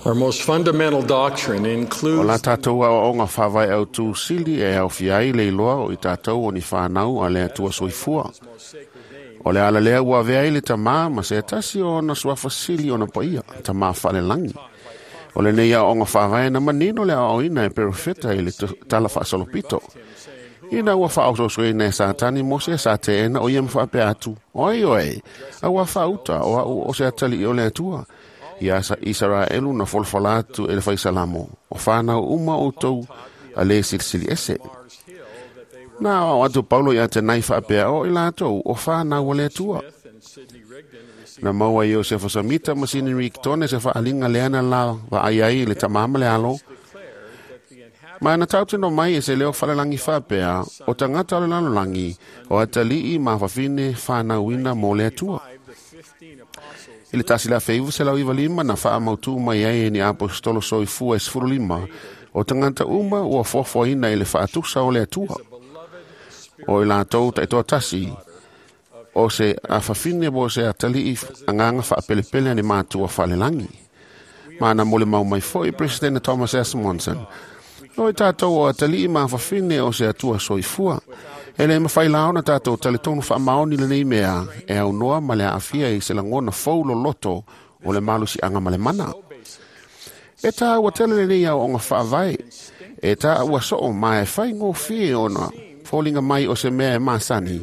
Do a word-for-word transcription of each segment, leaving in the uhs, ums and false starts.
Our most fundamental doctrine O includes la tātou aoaoga faavae autū sili e aofia ai le iloa o i tātou o ni whānau a le Atua soifua. O le ala lea ua avea ai le tamā ma se tasi o ona suafa sili ona paia, tamā faalelangi. O lenei aoaoga faavae na manino le aoaoina e perofeta i le tala faasolopito. Ina ua faaososoina e Satani Mose sa teena o ia ma faapea atu, Oi oe, auā faauta o au o se atalii o le Atua. Ia sa Isaraelu na folafola atu e le faisalamo, o whānau uma o tau a le silisili ese. Na o atu Paulo ia te nai whaapea o i lātou o whānau o le Atua. Na maua Iosefa Samita ma Sini Rigdon se whaalinga leana la vaai ai le tamama le alo. Ma na tautino mai e se leo whalelangi whaapea o tangata o le lalolangi o atalii ma whawhine whānauina mō le Atua. I le tasi la feivu se lau iwa lima na wha mautu mai ai e ni apostolo soifua e sefulu lima o tangata uma ua fuafuaina i le faatusa o le Atua. O i lātou taitoa tasi o se afafine mo se atalii anganga whaapelepele ni mātua whalelangi. Ma na mole mau mai foi President Thomas S. Monson. O i tātou o atalii ma afafine o se Atua soifua. E le mawhai laona tātou taletonu whaamaoni le nei mea e au noa ma le aafia i se langona fou loloto o le malusi anga ma le mana. E tā ua tele le nei au onga whaavae. E tā ua soo ma e whai ngōwhie ona fōlinga mai o se mea e masani.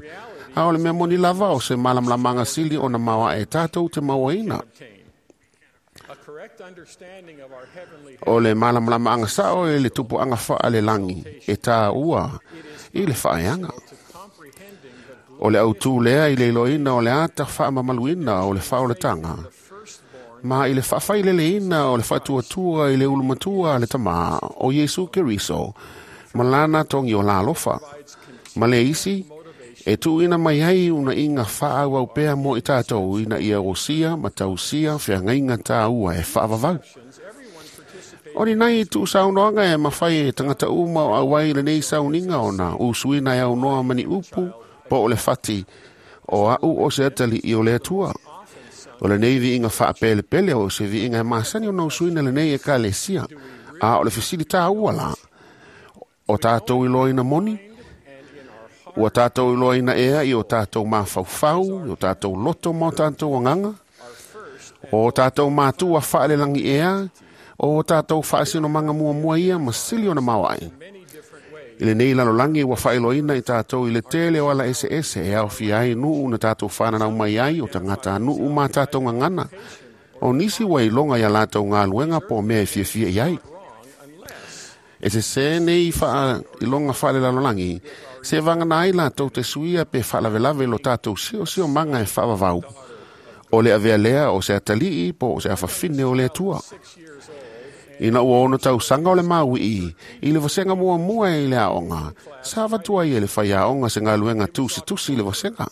A o le mea moni lava o se malamlamanga sili ona maua e tātou te mauaina. O le malamlamanga sao e le tupu anga whaa le langi e tā ua i le whaeanga. O le autū lea i le iloina o le ata whaamamaluina o le whaoletanga. Ma i le whaawhaileleina o le whaatuatua i le ulumatua le tamā o Yesu Keriso, ma lana tongi o la alofa. Ma le isi, e tuuina mai ai una inga whaau au pea mo i tātou ina ia osia ma tausia whiangainga tāua e whaavavau. O ni nei tu saunoanga e mawhai e tangata uma o awai le nei sauninga ona usuina e au noa mani upu po o le fati o au o se atali i o le Atua. O le nei viinga whaapelepele o se viinga e masani o na usuina le nei e kalesia a o le fisili tāua la. O tātou iloina moni, ua tātou iloina ea i o tātou mafaufau, i o tātou loto ma o tātou anganga, o tātou mātua whaalelangi ea, o tātou whaasino manga mua mua ia ma sili ona mawai. I le nei lalolangi ua whaeloina i tātou i le tele o ala ese ese e au fiai nuu na tātou whananau mai ai o tangata nuu mā tātou ngangana. O nisi ua ilonga ia lātou ngā luenga po mea e fiafia i ai. E se se nei wha ilonga whaale lalolangi, se vangana ai lātou te suia pe whaalavelave lo tātou sio sio manga e whaavavau. O le avea lea o se atalii po o se awhawhine o le Atua. Ina ua ono tau sanga o le maui i, i le vasenga mua mua i le aonga, sa vatua i e le whai aonga se ngaluenga tusi tusi i le vasenga.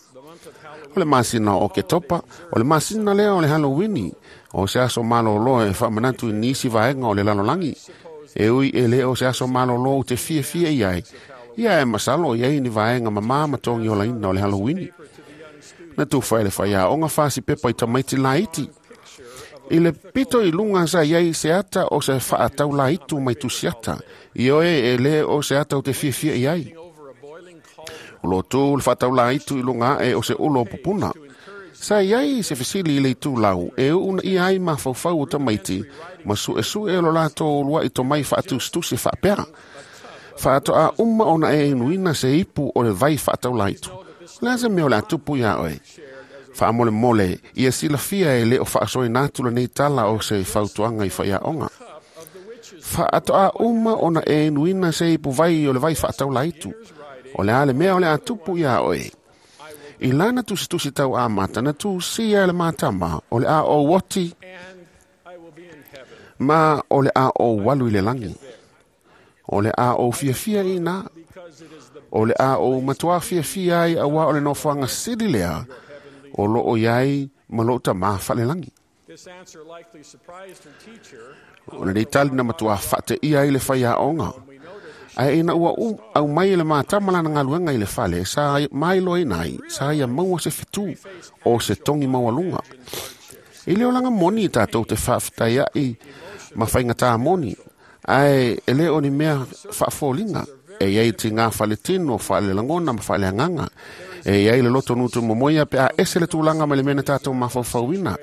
O le masina o ke topa, o le masina lea o le Halloweeni, o se aso malolo e whaamanatu i nisi vaenga o le lalolangi. E ui e le o se aso malolo u te fia fia i ai, ia e masalo i ai ni vaenga mamā matongi o laina o le Halloweeni. Na tufa e le whai aonga whasi pepa i tamaiti laiti. I le pito i lunga sa iai se ata o se whaatau la itu mai tusiata. I oe e le o se ata o te fiafia i ai. O lo tū le whaatau la itu i lunga e o se ulo o pupuna. Sa iai se fisili i le itu lau e una i ai mafaufau o tamaiti ma su e su e lo lātou lua i tomai whaatustusi whaapera. Whaato a uma ona e inuina se ipu o le vai whaatau la itu. Le se mea o le atupu ia oe. Whaamole mole, ia silafia e le o whaasoi nātu le nei tala o se fautuanga i whaiaonga. Whaato a uma ona e inuina se ipu vai o le vai whaatau laitu. O le ale mea o le atupu ia oe. I lana tusitusi tau a mata na tu sia le mātama o le a o woti ma o le a o walu i le langi. O le a o fiafia i nā. O le a o matua fiafia ai awa o le nofoanga sili lea o lo o iai ma lo ta mā whalelangi. O le nei tali na matua whate ia i le whai aonga. Ae ina ua u, au mai le mātama lana ngaluenga i le fale, sa mai loa inai, sa ia maua se fitu o se tongi maualunga. I leo langa moni i tātou te whaaftai ai Ma faigata moni, ae e le o ni mea faafoliga. E iai tigā faletino, faalelagona ma faaleagaga. E iai le loto nutumomoia pe a ese le tulaga mai le mea na tatou mafaufauina.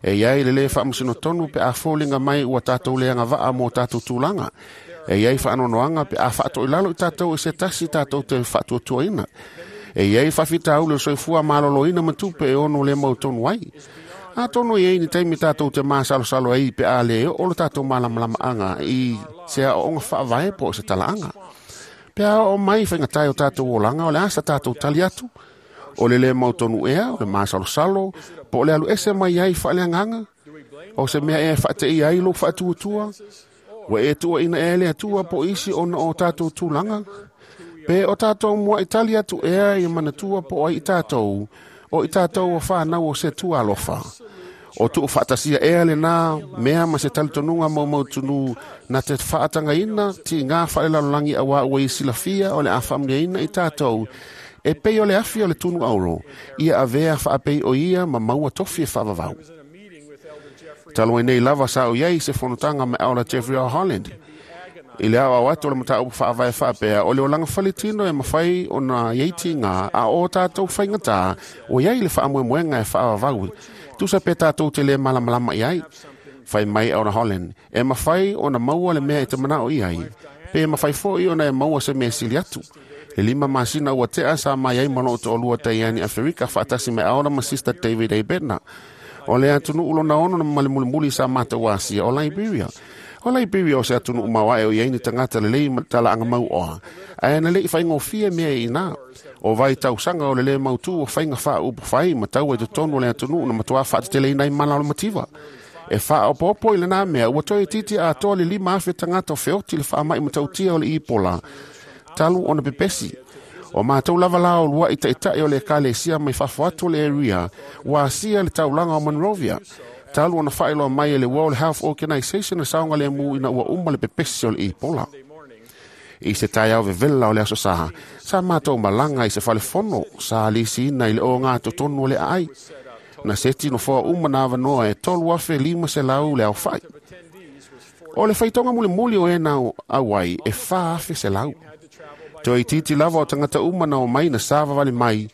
E iai le lē faamasino pe a foliga mai ua tatou le agavaa mo tatou tulaga. E iai faanoanoaga pe a faatoilalo i tatou e se tasi tatou te faatuatuaina. E iai faafitauli o le soifua maloloina ma tupe e ono le mautonu ai. Atonu e iai ni taimi tatou te masalosalo ai pe a le oo le tatou malamalamaaga i se aooga faavae po o se talaaga. Pe a oo mai faigatae o tatou olaga o le asa tatou tali atu. O le le mautonu ea, o le masalosalo, po o le alu ese mai ai faaleagaga. O se mea ea faateia ai lou faatuatua. Ua e tuuaina ea le Atua po o isi ona o tatou tulaga. Pe o tatou muai tali atu ea ia manatua po o ai i tatou, o i tatou o whanau o se tua alofa. O tuu faatasia ea lena mea ma se talitonuga maumautunu na te faatagaina tiga faalelalolagi auā ua i silafia o le a faamanuiaina i tatou e pei o le afi o le tunu auro, ia avea faapei o ia ma maua tofi e faavavau. Talu ai nei lava sa o iai se fonotaga ma Elder Jeffrey R. Holland. I le aoao atu o le mataupu faavae faapea, o le olaga faletino e mafai ona iai tiga, a o tatou faigata, o iai le faamoemoega e faavavau. Tusa pe tatou te le malamalama i ai. Fai mai Elder Holland, e mafai ona maua le mea e te manao i ai, pe mafai foi ona e maua se mea sili atu. Le lima masina ua tea sa mai ai ma loo toalua taiani Aferika faatasi me Elder ma Sister David A. Bednar. O le atunuu lona ono na ma le mulimuli sa matou asia o Liberia. O Liberia o se atunuu maoae o iai ni tagata lelei ma talaaga mauoa. Ae na le'i faigofie mea i ina. O vai tausaga o le lē mautū o faiga faaupu fai ma taua i totonu o le atunuu na matuā faateteleina ai mala o le mativa. E faaopoopo i lenā mea ua toe itiiti atoa le lima afe tagata o feoti le faama'i matautia o le Ipola. Talu ona pepesi. O matou lava la o lua'i taʻitaʻi o le ekalesia mai fafo atu o le area ua asia le taulaga o Monrovia. Talu ona faailoa mai e le World Health Organization le saogalemu ina ua uma le pepesi o le Ipola. I se taeao vevela o le aso Sā, sa matou malaga i se falefono sa lisiina i le oga totonu o le aai. Na seti nofoa uma na avanoa e tolu afe lima selau le aofa'i. O le faitauga mulimuli o e na auai e fa afe selau. Toe itiiti lava o tagata uma na omai na savavali mai,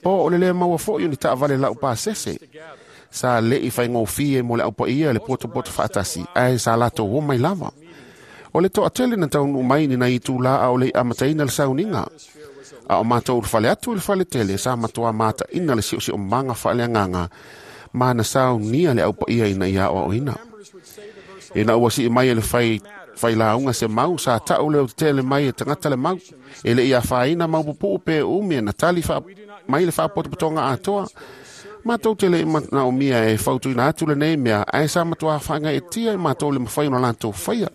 po o le lē maua fo'i o ni taavale laupasese. Sa le'i faigofie mo le aupaia le potopoto faatasi, ae sa latou omai lava. O le toatele na taunuu mai ni nai itulā a o le i amataina le sauniga. A o matou le fale atu i le faletele sa matuā mataʻina le siosiomaga faaleagaga ma na saunia le aupaia ina ia aoaoina. Ina ua sii mai e le fai failauga se mau sa ta'u leo tetele mai e tagata le mau. E le i afaina maupupuu pe umi e na tali faa, mai le faapotopotoga atoa. Matou te le manaomia e fautuina atu lenei mea, ae sa matuā faagaetia i matou le mafai ona latou faia.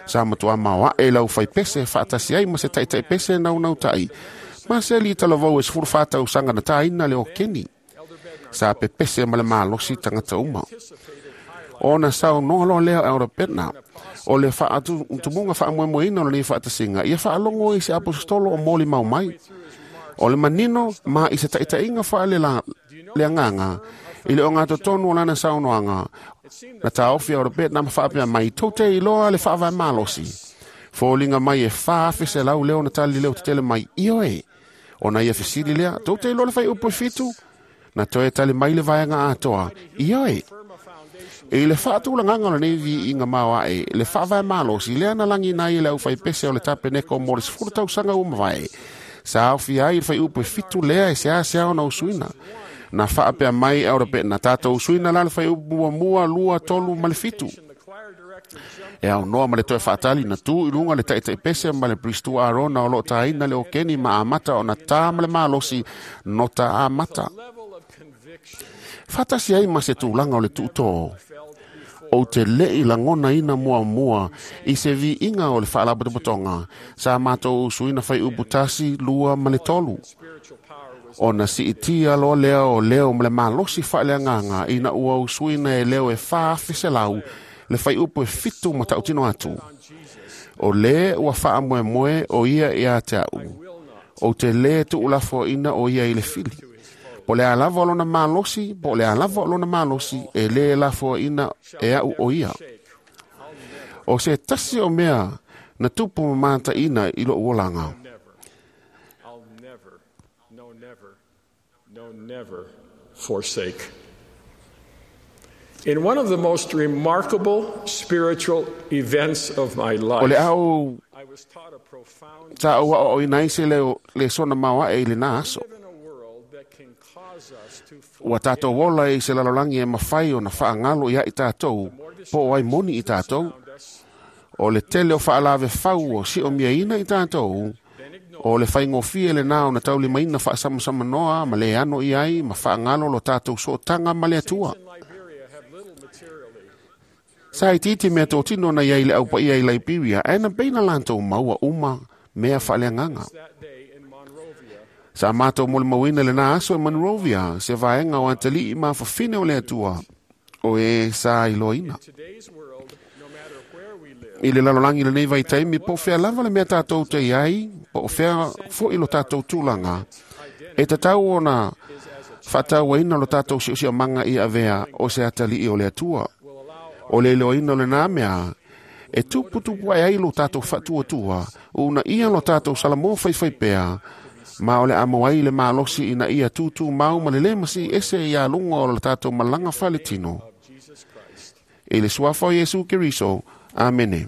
Sa matuā maoaʻe lau faipese faatasi ai ma se taʻitaʻi pese naunautai. Ma se alii talavou e sefulu fa tausaga na tāina le okeni. Sa pepese ma le malosi tagata uma. Ona saunoa loa lea Elder Bednar, o le faatumuga faamoemoeina o lenei faatasiga, ia faalogo i se aposetolo o molimau mai. O le manino ma i se taʻitaʻiga faale le agaga, i le ogatotonu o lana saunoaga, na taofi Elder Bednar ma faapea mai, tou te iloa le faavae malosi. Foliga mai e fa afe selau leo na tali leo tetele mai, ioe. Ona ia fesili lea, tou te iloa le faiupu e fitu. Na toe tali mai le vaega atoa, ioe. I le faatulagaga o lenei viiga maoaʻe, le faavae malosi lea na lagina ai e le aufaipese o le tapeneko mo le sefulu tausaga ua mavae. Sa aofia ai le faiupu e fitu lea e seasea ona usuina. Na faapea mai Elder Bednar, tatou usuina la le faiupu muamua, lua, tolu ma le fitu. E aunoa ma le toe faatali na tu i luga le taʻitaʻi pese ma le Pristu Arona o loo tāina le okeni ma amata ona tā ma le malosi nota amata. Faatasi ai ma se tulaga o le tuutō. Ou te le'i lagonaina muamua i se viiga o le faalapotopotoga sa matou usuina faiupu tasi, lua ma le tolu. Ona siitia loa lea o leo ma le malosi faaleagaga ina ua usuina e leo e fa afe selau le faiupu e fitu ma tautino atu. O lē ua faamoemoe o ia ia te a'u. Ou te lē tuulafoaina o ia i le fili. Po le a lava o lona malosi, po o le a lava o lona malosi, e lē lafoaina e a'u o ia. O se tasi o mea na tupu mamataʻina i loʻu olaga. Never, I'll never, no, never, no, never forsake. In one of the most remarkable spiritual events of my O life, le ao I was taught a profound sa ou aoaoina ai se leo le sona maoaʻe i lenā aso. live in a world that can cause us to Ua tatou ola i se lalolagi e mafai ona faagalo iaʻi tatou po o ai moni i tatou. found us, O le tele o faalave fau o siʻomiaina i tatou o le faigofie lenā ona taulimaina faasamsamanoa ma le ano i ai ma faagalo lo tatou sootaga ma le Atua. in Liberia have little materially, Sa itiiti mea totino na iai le aupaia i Liberia, ae na peina latou maua uma mea faaleagaga. that day in Monrovia, Sa matou molimauina lenā aso e Monrovia, se vaega o atalii ma fafine o le Atua, o e sa iloaina. today's world, no matter where we live, I le lalolagi lenei vaitaimi, po o fea lava le mea tatou te iai, po o fea foʻi lo tatou tulaga, e tatau ona faatauaina lo tatou siosiomanga i avea o se atalii o le Atua. O le iloaina o lenā mea, e tuputupu ae ai lo tatou faatuatua, una ia lo tatou salamoa faifai pea, ma o le amo ai le malosi ina ia tūtū mau ma le lē masiʻi ese ia luga o le tatou malaga faletino. Jesus Christ. I le suafa o Iesu Keriso. Amene.